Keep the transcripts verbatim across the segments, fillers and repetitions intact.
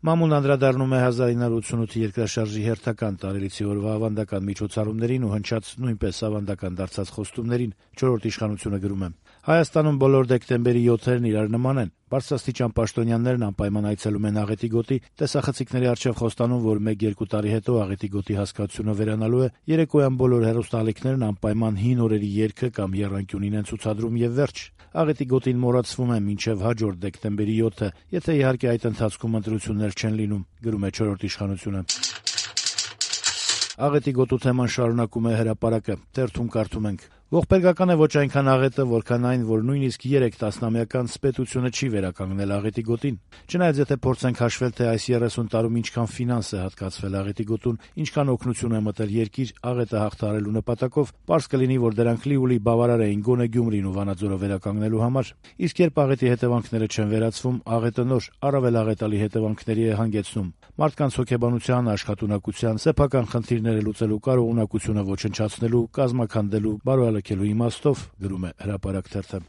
Մամուլն անդրադառնում է հազար ինը հարյուր ութսունութի երկրաշարժի հերթական տարելիցի օրվա ավանդական միջոցառումներին ու հնչած նույնպես ավանդական դարձած խոստումներին։ Չորրորդ իշխանությունը գրում է. Հայաստանում բոլոր դեկտեմբերի յոթերն իրար նման են։ Բարձրաստիճան պաշտոնյաներն անպայման այցելում են Աղետի գոտի, տեսախցիկների առջև խոստանում, որ մեկ-երկու տարի հետո Աղետի գոտի հասկացությունը վերանալու է, երեկոյան բոլոր հեռուստաալիքներն անպայման հին օրերի երգը կամ եռանկյունին են ցուցադրում եւ վերջ։ Աղետի գոտին մոռացվում է մինչեւ հաջորդ դեկտեմբերի յոթը, եթե իհարկե այդ ընթացքում ընտրություններ չեն լինում, գրում է չորրորդ իշխանությունը։ Աղետի գոտու թեման շարունակում է Հրապարակը, թերթում կարդում ենք. Ողբերգական է ոչ այնքան աղետը, որքան այն, որ նույնիսկ երեք տասնամյական պետությունը չի վերականգնել Աղետի գոտին։ Չնայած եթե փորձենք հաշվել, թե այս երեսուն տարում ինչքան ֆինանս է հատկացվել Աղետի գոտուն, ինչքան օգնություն է մտել երկիր Աղետը հաղթահարելու նպատակով, պարզ կլինի, որ դրանք լիուլի բավարար էին գոնե Գյումրին ու Վանաձորը վերականգնելու համար։ Իսկ երբ Աղետի հետևանքները չեն վերացվում, Աղետը նոր, առավել աղետալի հետևանքների է հանգեցնում։ Մարդկանց հոգեբանության, աշխատունակության, սեփական խնդիրները լուծելու կարողունակությունը ոչնչացնելու, կազմաքանդելու, բարոյալքելու իմաստով, գրում է Հրապարակ թերթը։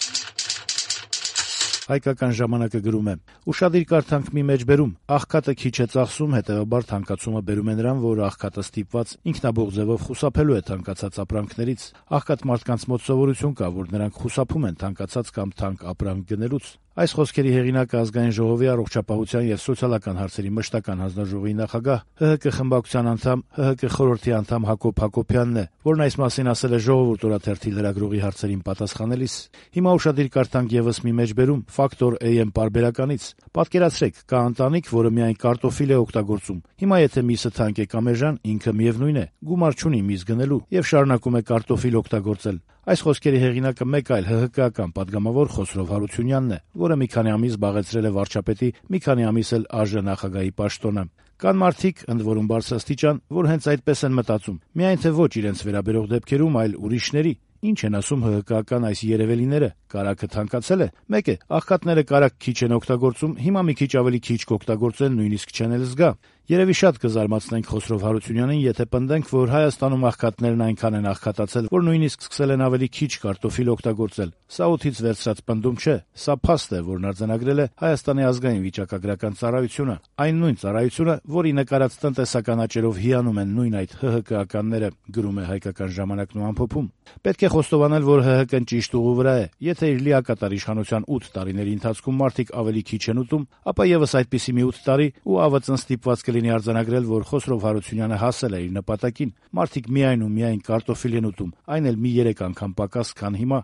Հայկական ժամանակը գրում է. Ուշադիր կարդանք մի մեջ բերում. աղքատը քիչ է ծախսում, հետեւաբար թանկացումը բերում է նրան, որ աղքատը ստիպված ինքնաբուխ ձևով խուսափելու է թանկացած ապրանքներից։ Աղքատ մարդկանց մոտ սովորություն կա, որ նրանք խուսափում են թանկացած կամ թանկ ապրանք գնելուց։ Այս խոսքերի հեղինակը Ազգային ժողովի առողջապահության եւ սոցիալական հարցերի մշտական հանձնաժողովի նախագահ, ՀՀԿ խմբակցության անդամ, ՀՀԿ խորհրդի անդամ Հակոբ Հակոբյանն է, որն այս մասին ասել է Ժողովուրդ օրաթերթի լրագրողի հարցերին պատասխանելիս։ Հիմա ուշադիր կարդանք եւս մի մեջբերում Ֆակտոր էյ էմ պարբերականից։ Պատկերացրեք, կա ընտանիք, որը միայն կարտոֆիլ է օգտագործում։ Հիմա եթե միսը թանկ է կամ էժան, ինքը միևնույն է, գումար չունի միս գնելու եւ շարունակում է կարտոֆիլ օգտագործել։ Այս խոսքերի հեղինակը մեկ այլ ՀՀԿ-ական падգամավոր Խոսրով Հարությունյանն է, որը մի քանի ամիս զբաղեցրել է վարչապետի, մի քանի ամիս էլ ԱԺ նախագահի պաշտոնը։ Կան մարդիկ, ընդ որում բարձրաստիճան, որ հենց այդպես են մտածում։ Միայն թե ոչ իրենց վերաբերող դեպքերում, այլ ուրիշների։ Ինչ են ասում ՀՀԿ-ական այս երևելիները։ Կարագը թանկացել է։ Մեկ է, աղքատները կարագ քիչ են օգտագործում, հիմա մի քիչ ավելի քիչ կօգտագործեն, նույնիսկ չեն էլ զգա։ Երևի շատ կզարմացնենք Խոսրով Հարությունյանին, եթե պնդենք, որ Հայաստանում աղքատներն այնքան են աղքատացել, որ նույնիսկ սկսել են ավելի քիչ կարտոֆիլ օգտագործել։ Սա օդից վերցրած պնդում չէ, սա փաստ է, որն արձանագրել է Հայաստանի ազգային վիճակագրական ծառայությունը, այն նույն ծառայությունը, որի նկարած տնտեսական աճերով հիանում են նույն այդ ՀՀԿ-ականները, գրում է Հայկական ժամանակն ու ամփոփում։ Պետք է խոստովանել, որ ՀՀԿ-ն ճիշտ ուղու վրա է։ Եթե իր լիակատար իշխանության ութ տարիների ընթացքում մարդիկ ավելի քիչ են ուտում, ապա եւս այդպիսի մի ութ տարի ու ԱՎԾ-ն ստիպված կլինի արձանագրել, որ Խոսրով Հարությունյանը հասել է իր նպատակին։ Մարդիկ միայն ու միայն կարտոֆիլ են ուտում, այն էլ մի երեք անգամ պակաս, քան հիմա։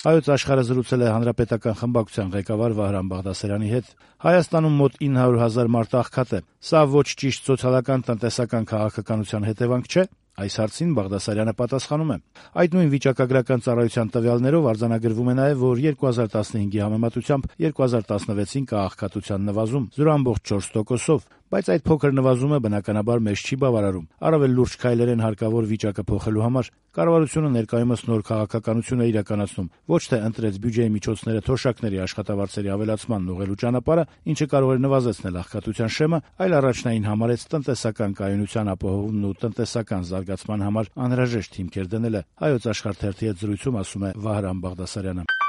Հայոց աշխարհը զրուցել է հանրապետական խմբակցության ղեկավար Վահրամ Բաղդասարյանի հետ։ Հայաստանում մոտ ինը հարյուր հազար մարդ աղքատ է։ Սա ոչ ճիշտ սոցիալական տնտեսական քաղաքականության հետևանք չէ։ Այս հարցին Բաղդասարյանը պատասխանում է. Այդ նույն վիճակագրական ծառայության տվյալներով արձանագրվում է նաև, որ երկու հազար տասնհինգի համեմատությամբ երկու հազար տասնվեցին կա աղքատության նվազում զրո տասնյոթ տոկոսով, բայց այդ փոքր նվազումը բնականաբար մեզ չի բավարարում։ Առավել լուրջ քայլեր են հարկավոր վիճակը փոխելու համար։ Կառավարությունը ներկայումս նոր քաղաքականություն է իրականացնում, ոչ թե ընտրեց բյուջեի միջոցները թոշակների աշխատավարձերի ավելացման ուղղելու ճանապարհը, ինչը կարող էր նվազեցնել աղքատության շեմը, այլ առաջնային համարեց տնտեսական կայունության ապահովումն ու տնտեսական զարգացման համար անհրաժեշտ հիմքեր դնելը։ Հայոց աշխարհ թերթի հետ զրույցում ասում է Վահրամ Բաղդասարյանը։